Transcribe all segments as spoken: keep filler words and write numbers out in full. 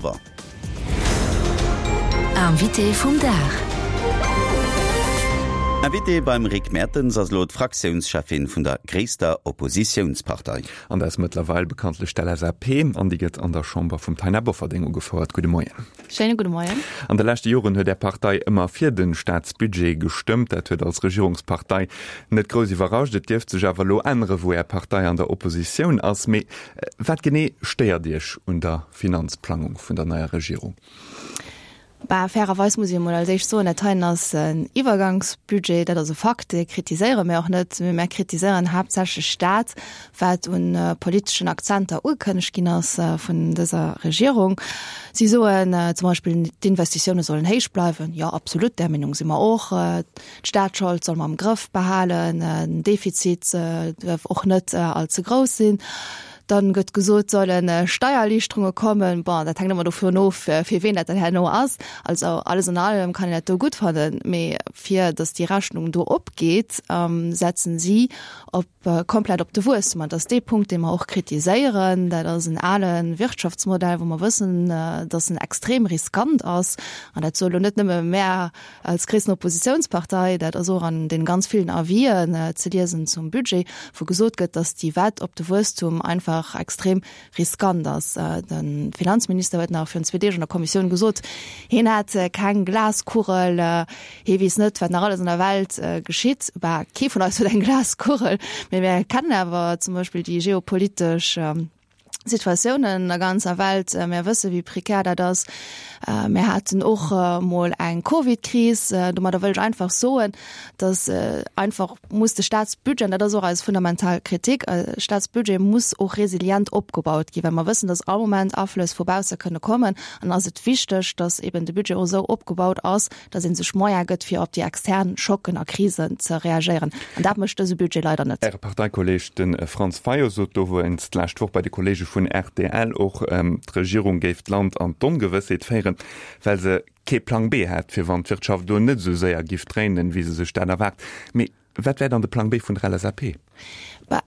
Revolver. Invité vum Dag. Invité beim Rick Mertens ass elo d'Fraktiounscheffin vun der gréisster Oppositiounspartei. An dat ass mëttlerweil bekanntlech d'LSAP, an déi gëtt an der Chamber vum Taina Bofferding ugefouert. Gudde Moien. Schéine gudde Moien. An de leschte Joren huet Är Partei ëmmer fir de Staatsbudget gestëmmt. Dat huet als Regierungspartei net grouss iwwerrascht. Et dierft sech awer elo ännere wou Är Partei an der Oppositioun ass. Mee wat genee stéiert Iech un der Finanzplangung vun der neier Regierung? Bah, fairerweis muss ech emol als éischt soen, dat heien ass en Iwwergangsbudget, dat ass e Fakt, dee kritiséiere mir och net, mee mir kritiséieren haaptsächlech dat, wat un politeschen Akzenter ugekënnegt ginn ass vun dëser Regierung. Si soen zum Beispill, d'Investitioune sollen héich bleiwen. Jo, absolut, där Meenung si mer och. D'Staatsschold solle mer am Grëff behalen, den Defizit duerf och net allze grouss sinn. Dann gëtt gesot, solle Steiererliichterunge kommen. Bon, dat hänkt ëmmer dovun of, fir ween dat dann herno ass. Also alles an allem kann een dat do gutt fannen, mee fir datt déi Rechnung do opgeet, setzen si op komplett op de Wuesstum. An dat ass dee Punkt, dee mer och kritiséieren. Dat ass en ale Wirtschaftsmodell, wou mer wëssen, datt en extrem riskant ass. An dat soe lo net nëmme mär als gréissten Oppositiounspartei, dat ass och an deene ganz villen Avisen ze liesen zum Budget, wou gesot gëtt, datt déi Wett op de Wuesstum einfach extrem riskant ass. De Finanzminister huet nach virun zwee Deeg an der Kommissioun gesot, hien hätt keng Glaskugel, hie weess net, wat nach alles an der Welt geschitt. Bah, kee vun eis huet eng Glaskugel, mee mir kennen awer zum Beispill déi geopolitesch Situatiounen an der ganzer Welt. Mir wësse wéi prekär dat ass. Mir haten och mol eng Covid-Kris. Domadder wëll ech einfach soen, datt einfach muss de Staatsbudget, an dat ass och eis fundamental Kritik, Staatsbudget muss och resilient opgebaut ginn, well mer wëssen, datt all Moment Aflëss vu bausse kënne kommen. An ass et wichteg, datt eben de Budget och esou opgebaut ass, datt ee sech Moyen gëtt, fir op déi extern Schocken a Krisen ze reagéieren. An dat mécht dëse Budget leider net. Äre Parteikolleeg, de Franz Fayot, sot dowéinst d'lescht Woch bei de Kolleege vun rtl och, d'Regierung géif d'Land an d'Ongewëssheet féieren, well se kee Plang B hätt, fir wann d'Wirtschaft elo net esou séier giff dréinen, wéi se sech dat erwaart. Mee wat wär dann de Plang B vun der LSAP? Bah,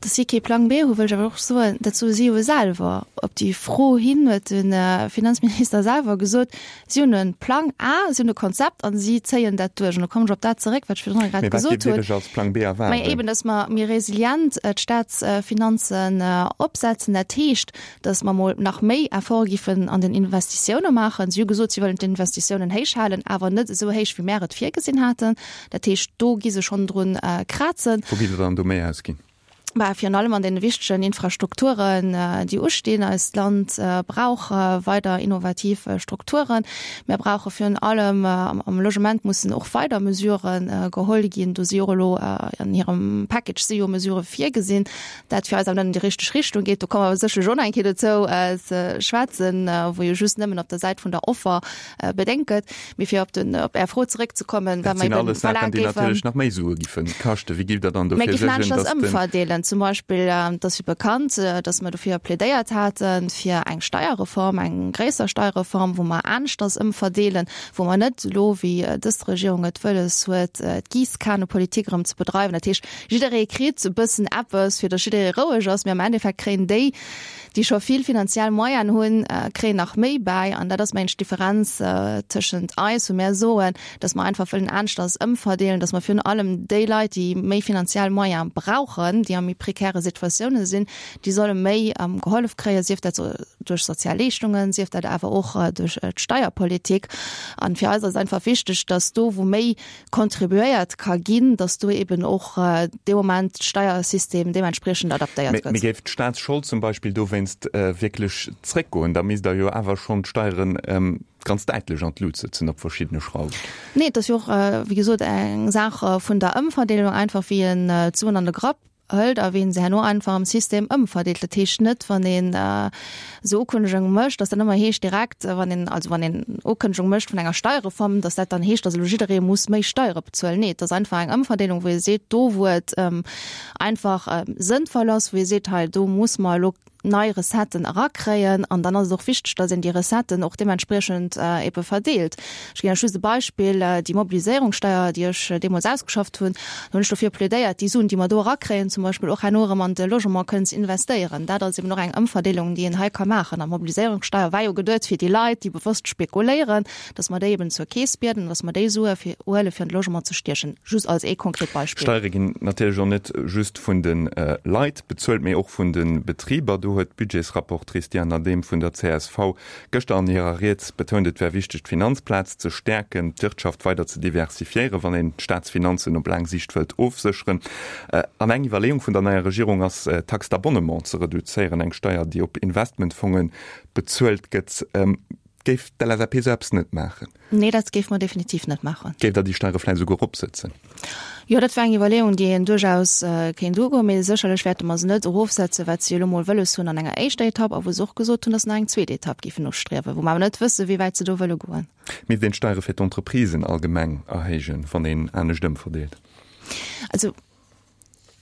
dass si kee Plang B hu wëll ech awer och soen, dat soe si jo selwer. Op déi Fro hin huet de Finanzminister selwer gesot, si hunn e Plang A, si hunn e Konzept a si zéien dat duerch. An do kommen ech op dat zeréck, wat ech virdrun grad Mee wat gesot giff Dir hunn. lech als Plang B erwaarden? Majo eben, dass mer méi resilient d'Staatsfinanzen opsetzen. Dat heescht, dass mer mol nach méi Efforte giffen an den Investitioune maachen. Si hu gesot, si wëllen d'Investitiounen héich halen, awer net esou héich, wéi mär et virgesinn haten. Dat heescht, do gi se schonn drun krazen. Wou gitt Der dann do méi ausginn? Bah, virun allem an deene wichtegen Infrastrukturen, déi ustinn. Eist Land brauch weider innovativ Strukturen. Mir brauche virun allem am Logement mussen och weider Mesurë geholl ginn. Do si jo och elo an hirem Package si jo Mesurë virgesinn, dat fir eis awer net an déi richteg Richtung geet. Do komme mer sécherlech och nach eng Kéier dozou ze schwätzen, wou jo just nëmmen op der Säit vun der Offer bedéngt gëtt. Mee fir op den, op Är Fro zeréckzekommen, Dat wa mer sinn eben alles Saachen, verlaangt déi géifen. natierlech nach méi Sue giffe kaschten. Wéi giff Der dann Mir dofir giffen suergen, aneschters datt den. ëmverdeelen. Zum Beispill, et ass jo bekannt, datt mer dofir plädéiert haten, fir eng Steierreform, eng gréisser Steierreform, wou mer aneschters ëmverdeelen, wou mer net elo, wéi dës Regierung et wëlles huet, d'Giisskanepolitik erëm ze bedreiwen. Dat heescht, jidderee kritt e bëssen eppes, fir datt jidderee roueg ass, mee am Endeffekt kréien déi, déi scho vill finanziell Moyenen hunn, kréien nach méi bäi. An dat ass, mengen ech, d'Differenz tëschent eis, wou mär soen, dass mer einfach wëllen aneschters ëmverdeelen, dass mer virun allem déi Leit, déi méi finanziell Moyene brauchen, déi a méi prekäre Situatiounen sinn, déi solle méi gehollef kréien, sief dat duerch sozial Leeschtungen, sief dat awer och duerch d'Steierpolitik. An fir eis ass et einfach wichteg, dass do, wou méi contribuéiert ka ginn, dass do eben och dee Moment d'Steiersystem deementspriechend adaptéiert Mee gëtt. géif d'Staatsschold zum Beispill dowéinst wierklech zréckgoen, da misst Der jo awer schonn d'Steieren ganz däitlech an d'Lut sëtzen op verschiddene Schrauwen. Nee, et ass jo och, wéi gesot, eng Saach vun der Ëmverdeelung, einfach wéi een d'Suen an de Grapp hëlt a wéi een se herno einfach am System ëmverdeelt. Dat heescht net, wann een esou Ukënnegunge mécht, dass dat ëmmer heescht direkt, wann een, also wann een Ukënnegung mécht vun enger Steierreform, dass dat dann heescht, dass elo jidderee muss méi Steiere bezuelen. Nee, et ass einfach eng Ëmverdeelung, wou ee seet, do wou et einfach sënnvoll ass, wou ee seet, hei do muss mer elo nei Recetten erakréien an dann ass et och wichteg, dass een déi Recetten och deementspriechend ebe verdeelt. Ech ginn lech just e Beispill, Déi Mobiliséierungssteuer, déi ech deemools ausgeschafft hunn, do hunn ech dofir plädéiert, déi Suen, déi mer do erakréien, zum Beispill och herno erëm an de Logement kënnen ze investéieren. Dat ass eben och eng Ëmverdeelung, déi een hei ka maachen. An d'Mobiliséierungssteuer war jo geduet fir déi Leit, déi bewosst spekuléieren, dass mer déi eben zur Keess bieden, dass mer déi Sue fir huele fir an de Logement ze stiechen. Just als ee konkret Beispill. Steiere ginn natierlech och net just vun de Leit bezuelt, mee och vun de Betriber. Do huet d'Budgetsrapportrice Diane Adehm vun der csv gëschter an hirer Ried betount, et wär wichteg, d'Finanzplaz ze stäerken, d'Wirtschaft weider ze diversifiéieren, wann een d'Staatsfinanzen op laang Siicht wëllt ofsécheren. An eng Iwwerleeung vun der neier Regierung ass, d'Taxe d'abonnement ze reduzéieren, eng Steier, déi op Investmentfonge bezuelt gëtt. Géif d'LSAP esou eppes net maachen? Nee, dat géife mer definitiv net maachen. Géift Der déi Steiere vläicht esouguer eropsetzen? Jo, dat wär eng Iwwerleeung, déi een duerchaus kéint ugoen, mee sécherlech wäerte mer se net erofsetzen, wat se jo elo mol wëlles hunn an enger éischter Etapp a wou se och gesot hunn, datt se nach eng zweet Etapp géifen ustriewen, wou mer awer net wëssen, wéi wäit se do wëlle goen. Misst een d'Steiere fir d'Entreprisen allgemeng erhéijen, wann een anescht ëmverdeelt? Also,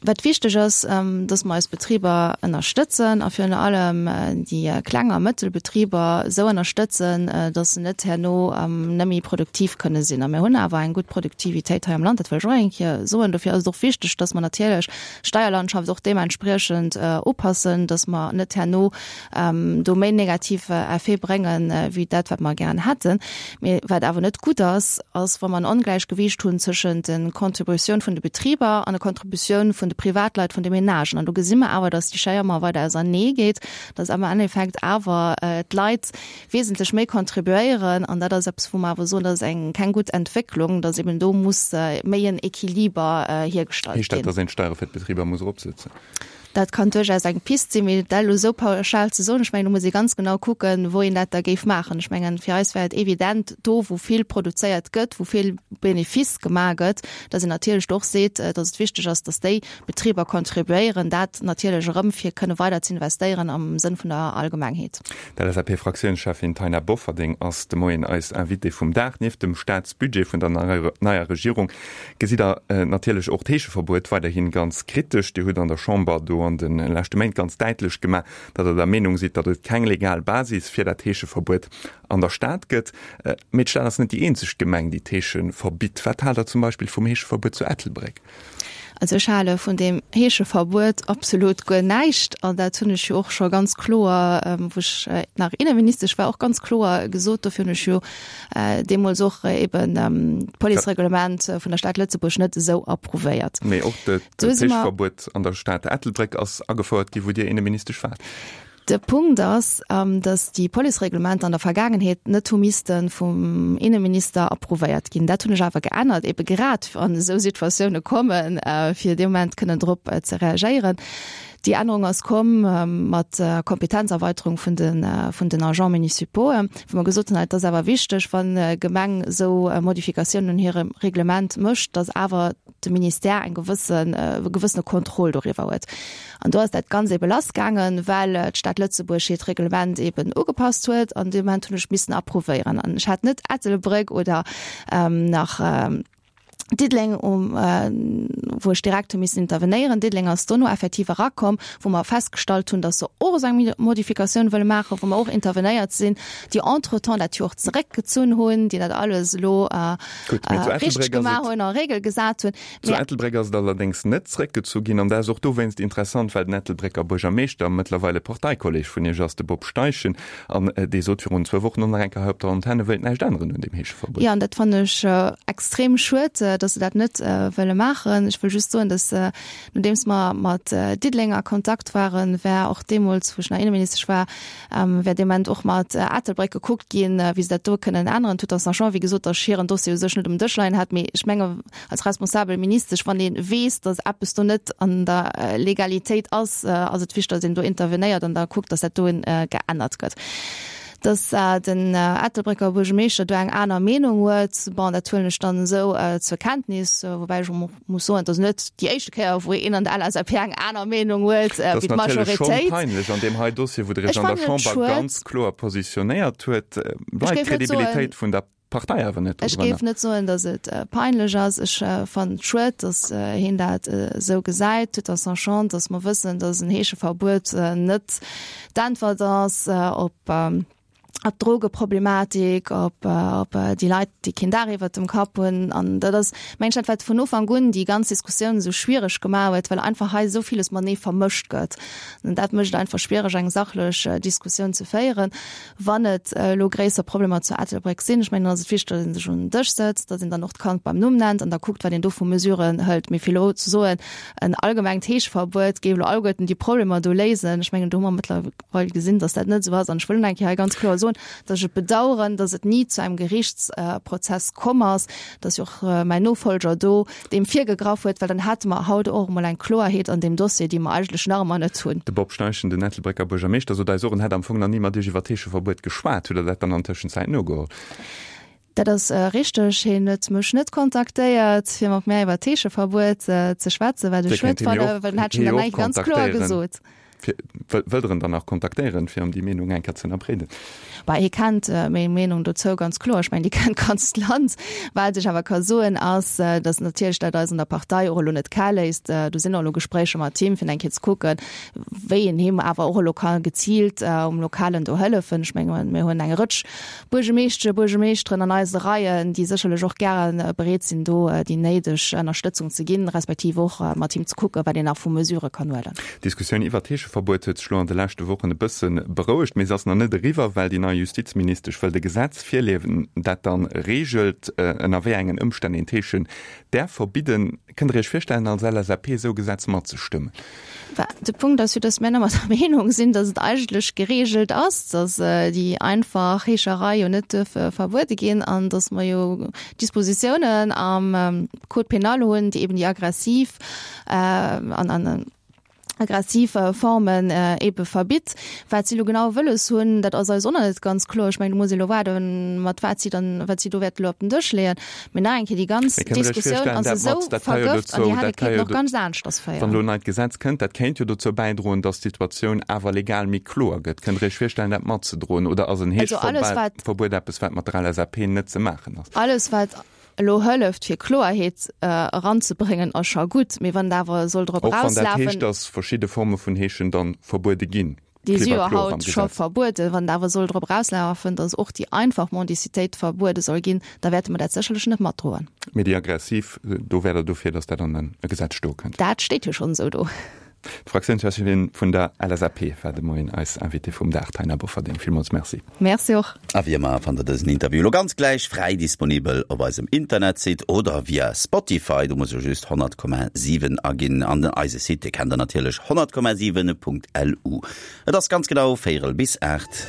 Wat wichteg ass, dass mer eis Betriber ënnerstëtzen a virun allem déi kleng a mëttel Betriber esou ënnerstëtzen, dass se net herno net méi produktiv kënne sinn. A mir hunn awer eng gutt Produktivitéit hei am Land, dat wëll ech och eng Kéier soen. Dofir ass et och wichteg, dass mer natierlech d'Steierlandschaft och deementspriechend upassen, dass mer net herno do méi negativ Effete bréngen, wéi dat, wat mer gären hätten. Mee wat awer net gutt ass, ass, wa mer en Ongläichgewiicht hunn tëschent de Contributioun vun de Betriber an de Contributioun vun de Privatleit, vun de Menagen. An do gesi mer awer, dass déi Schéier ëmmer weider ausernee geet, dass am Endeffekt awer d'Leit wesentlech méi contribuéieren. An dat ass eppes, wou mer awer soen, dat ass eng keng gutt Entwécklung, dass eben do muss méi en Equiliber hiergestallt Heescht dat, ginn. dass een d'Steiere fir d'Betriber muss eropsetzen? Dat kann duerchaus eng Pist sinn, mee dat elo esou pauschal ze soen, ech mengen, do muss ee ganz genau kucken, wou een dat da géif maachen. Ech mengen, fir eis wär et evident, do wou vill produzéiert gëtt, wou vill Benefice gemaach gëtt, datt een natierlech do och seet, datt et wichteg ass, datt déi Betriber contribuéieren, dat natierlech erëm fir kënne weider ze investéieren am Sënn vun der Allgemengheet. D'LSAP-Fraktiounscheffin Taina Bofferding ass de Moien eis Invitée vum Dag. Nieft dem Staatsbudget vun der neier Regierung gesitt Der natierlech och d'Heescheverbuet weiderhi ganz kritesch. Dir hutt an der Chamber do an de leschte Méint ganz däitlech gemaach, datt Der der Meenung sidd, datt et keng legal Basis fir dat Heescheverbuet an der Stad gëtt. Mee d'Stad ass net déi eenzeg Gemeng, déi d'Heesche verbitt. Wat haalt Der zum Beispill vum Heescheverbuet zu Ettelbréck? Also ech hale vun deem Heescheverbuet absolut guer näischt. An dat hunn ech jo och scho ganz kloer, wou ech nach Inneministesch war, och ganz kloer gesot. Dofir hunn ech jo deemools och eben d'Policereglement vun der Stad Lëtzebuerg net esou approuvéiert. Mee och d'Heescheverbuet an der Stad Ettelbréck ass agefouert gi wou Dir Inneministesch waart. De Punkt ass, datt déi Policereglementer an der Vergaangenheet net hu misste vum Inneminister approuvéiert ginn. Dat hunn ech awer geännert, ebe grad wann esou Situatioune kommen, fir dee Moment kënnen drop ze reagéieren. Déi Ännerung ass komm mat der Kompetenzerweiterung vun de vun den Agents municipaux, wou mer gesot hunn, et ass awer wichteg, wann d'Gemeng esou Modifikatiounen un hirem Reglement mécht, datt awer de Ministère eng gewëssen, e gewëssene Contrôle doriwwer huet. An do ass dat Ganzt ebe lassgaangen, well d'Stad Lëtzebuerg hiert Reglement eben ugepasst huet an dee Moment hunn ech missen approuvéieren. An ech hat net Ettelbréck oder nach Diddeleng, wou ech direkt hu missen intervenéieren. Diddeleng ass dono effektiv erakomm, wou mer festgestallt hunn, datt se och esou eng Modifikatioun wëlle maachen, wou mer och intervenéiert sinn, déi entretemps dat jo och zeréckgezunn hunn, déi dat alles elo richteg gemaach hunn, a Regel gesat hunn. Zu Ettelbréck ass et allerdéngs net zréckgezu ginn. An dat ass och dowéinst interessant, well den Ettelbrécker Buergermeeschter mëttlerweil e Parteikolleg vun Iech ass, de Bob Steichen. An dee sot virun zwou Wochen och nach eng Kéier hei op der Antenn, e wéilt näischt änneren un deem Heescheverbuet. Jo, an dat fannen ech extrem schued, datt se dat net wëlle maachen. Ech wëll just soen, datt nodeems mer mat Diddeleng a Kontakt waren, war och deemools, wou ech nach Inneministesch war, wär dee Moment och mat Ettelbréck gekuckt ginn, wéi se dat do kënnen änneren. Tout en sachant, wéi gesot, datt ech hiren Dossier u sech net um Dësch leien hat. Mee ech menge als responsabel Ministesch, wann ee weess, datt eppes do net an der Legalitéit ass, ass et wichteg, datt een do intervenéiert an da kuckt, datt dat do geännert gëtt. Datt den Ettelbrécker Buergermeeschter do eng aner Meenung huet, bon, dat huelen ech dann esou zur Kenntnis, woubäi ech och muss soen, et ass net déi éischte Kéier, wou een an der LSAP eng aner Meenung huet wéi d'Majoritéit. Dat ass natierlech schonn peinlech an deem hei Dossier, wou Der Iech an der Chamber ganz kloer positionéiert huet, bleift d'Credibilitéit vun der Partei awer net Ech géif net soen, datt et peinlech ass. Ech fannen et schued, datt hien dat esou gesäit, tout en sachant, datt mer wëssen, datt en Heescheverbuet net d'Äntwert ass op d'Drogeproblematik, op déi Leit, déi keen Daach iwwert dem Kapp hunn. An dat ass, mengen ech, dat wat vun Ufank un déi ganz Diskussioun esou schwiereg gemaach huet, well einfach hei esou villes matenee vermëscht gëtt. An dat mécht et einfach schwiereg, eng sachlech Diskussioun ze féieren. Wann et elo gréisser Problemer zu Ettelbréck sinn, ech mengen, dann ass et wichteg, datt ee sech un den Dësch sëtzt, datt een dann och d'Kand beim Numm nennt an da kuckt, wat een do vu Mesuren hëlt. Mee fir elo ze soen, en allgemengt Heescheverbuet géif elo alleguerten déi Problemer do léisen, ech mengen, do hu mer mëttlerweil gesinn, datt dat net esou ass. An ech wëll nach eng Kéier hei ganz kloer soen, datt ech et bedauern, datt et ni zu engem Gerichtsprozess komm ass, datt jo och mäin Nofolger do deem virgegraff huet, well dann hätte mer haut och emol eng Kloerheet an deem Dossier, déi mer eigentlech nach ëmmer net hunn. De Bob Steichen, den Ettelbrécker Buergermeeschter, sot eis och, en hätt am Fong nach ni mat Iech iwwer d'Heescheverbuet geschwat. Hutt Der dat dann an Tëschenzäit nogeholl? Dat ass richteg. Hien huet mech net kontaktéiert, fir mat mär iwwer d'Heescheverbuet ze schwätzen, wat ech schued fannen, well dann hätt ech him dat nach ganz kloer gesot. Wëllt Der en dann nach kontaktéieren, fir em déi Meenung eng Kéier ze ënnerbreeden? Bah, hie kennt meng Meenung dozou ganz kloer. Ech mengen, déi kennt d'ganzt Land. Wat ech awer ka soen, ass, datt natierlech dat eis an der Partei och elo net kal léisst. Do sinn och elo Gespréicher mat him, fir eng Kéier ze kucken, wéi een him awer och elo ka geziilt um Lokalen do hëllefen. Ech mengen, mir hunn eng Rëtsch Buergemeeschtschen, Buergemeeschteren an eise Reien, déi sécherlech och gäre bereet sinn, do déi néideg Ënnerstëtzung ze ginn, respektiv och mat him ze kucken, wat een nach vu Mesurë kann huelen. D'Diskussioun iwwert d'Heescheverbuet huet sech lo an de leschte Wochen e bësse berouegt, mee se ass nach net eriwwer, well déi nei Justizministesch wëllt e Gesetz virleeën, dat dann reegelt, ënner wéi engen Ëmstänn een d'Heeschen däerf verbidden. Kënnt Der Iech virstellen, als LSAP esou e Gesetz matzestëmmen? De Punkt ass jo, dass mir ëmmer der Meenung sinn, dass et eigentlech geregelt ass, dass déi einfach Heescherei jo net duerf verbuede ginn an dass mer jo Dispositiounen am Code pénal hunn, déi eben déi aggressiv an an aggressiv Formen ebe verbitt. Wat si elo genau wëlles hunn, dat ass eis och nach net ganz kloer. Ech mengen, do muss ee elo waarden, mat wat si dann, wat si do wäerten elo op den Dësch leeën. Mee nach eng Kéier, déi ganz Mee kënnt Der Iech Diskussioun virstellen, ass dat esou mat, dat ka jo vergëft an dozou, déi hätt dat et ka kéinten jo och ganz aneschters wann féieren. elo en neit Gesetz kënnt, dat kéint jo dozou bäidroen, datt d'Situatioun awer legal méi kloer gëtt. Kënnt Der Iech virstellen, dat matzedroen oder ass en Also alles, wat. Heeschverbuet eppes, wat mat der LSAP net ze maachen ass? Alles, wat elo hëlleft, fir Kloerheet eranzebréngen, ass scho gutt. Mee wann et awer soll drop Och wann dat erauslafen. heescht, datt verschidde Forme vun Heeschen dann verbuede ginn? Déi si Klipp jo a kloer am haut scho Gesetz. verbueden. Wann et awer soll drop erauslafen, datt och déi einfach Mendicitéit verbuede soll ginn, da wäerte mer dat sécherlech net matdroen. Mee déi aggressiv, do wäert Der dofir, datt dat an e Gesetz stoe kënnt? Dat steet jo schonn esou do. D'Fraktiounscheffin vun der LSAP war de Moien eis Invitée vum Dag, d'Taina Bofferding. Villmools Merci. Merci och. A wéi ëmmer fannt der dësen Interview elo ganz gläich fräi disponibel op eisem Internetsite oder via Spotify. Do musst der just honnert Komma siwen aginn. An den eise Site, dee kennt der natierlech, honnert Komma siwen Punkt lu. Et ass ganz genau véierel bis aacht.